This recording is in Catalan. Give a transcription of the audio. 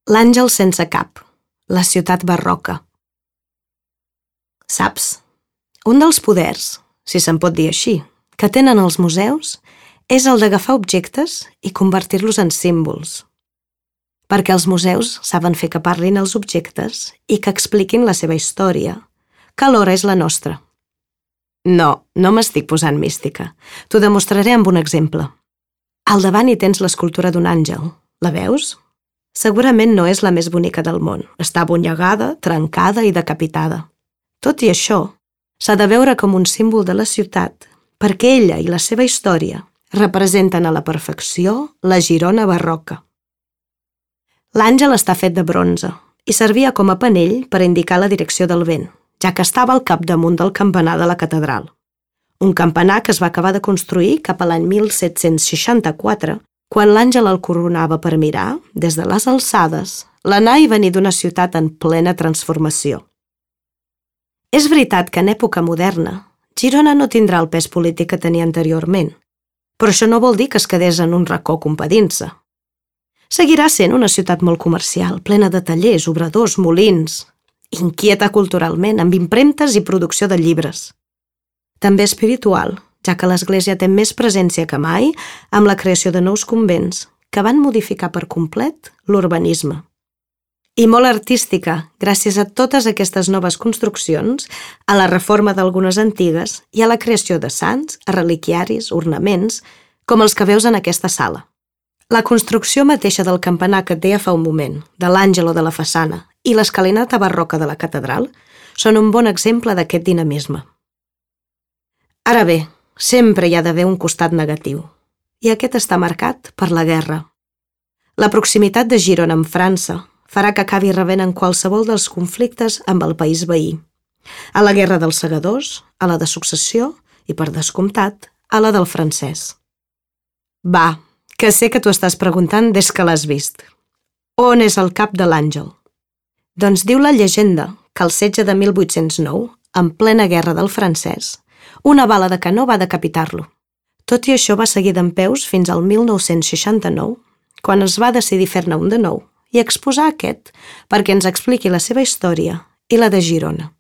L'àngel sense cap, la ciutat barroca. Saps? Un dels poders, si se'n pot dir així, que tenen els museus és el d'agafar objectes i convertir-los en símbols. Perquè els museus saben fer que parlin els objectes i que expliquin la seva història, que alhora és la nostra. No m'estic posant mística. T'ho demostraré amb un exemple. Al davant hi tens l'escultura d'un àngel. La veus? Segurament no és la més bonica del món. Està abonyegada, trencada i decapitada. Tot i això, s'ha de veure com un símbol de la ciutat, perquè ella i la seva història representen a la perfecció la Girona barroca. L'àngel està fet de bronze i servia com a panell per indicar la direcció del vent, ja que estava al capdamunt del campanar de la catedral. Un campanar que es va acabar de construir cap a l'any 1764, quan l'àngel el coronava per mirar, des de les alçades, l'anar i venir d'una ciutat en plena transformació. És veritat que en època moderna, Girona no tindrà el pes polític que tenia anteriorment, però això no vol dir que es quedés en un racó compedint-se. Seguirà sent una ciutat molt comercial, plena de tallers, obradors, molins, inquieta culturalment, amb impremtes i producció de llibres. També espiritual, ja que l'Església té més presència que mai amb la creació de nous convents que van modificar per complet l'urbanisme. I molt artística, gràcies a totes aquestes noves construccions, a la reforma d'algunes antigues i a la creació de sants, reliquiaris, ornaments, com els que veus en aquesta sala. La construcció mateixa del campanar que et deia fa un moment, de l'àngel o de la façana, i l'escalinata barroca de la catedral són un bon exemple d'aquest dinamisme. Ara bé, sempre hi ha d'haver un costat negatiu, i aquest està marcat per la guerra. La proximitat de Girona amb França farà que acabi rebent en qualsevol dels conflictes amb el país veí. A la guerra dels segadors, a la de successió i, per descomptat, a la del francès. Va, que sé que t'ho estàs preguntant des que l'has vist. On és el cap de l'àngel? Doncs diu la llegenda que al setge de 1809, en plena guerra del francès, una bala de canó va decapitar-lo. Tot i això va seguir dempeus fins al 1969, quan es va decidir fer-ne un de nou i exposar aquest perquè ens expliqui la seva història i la de Girona.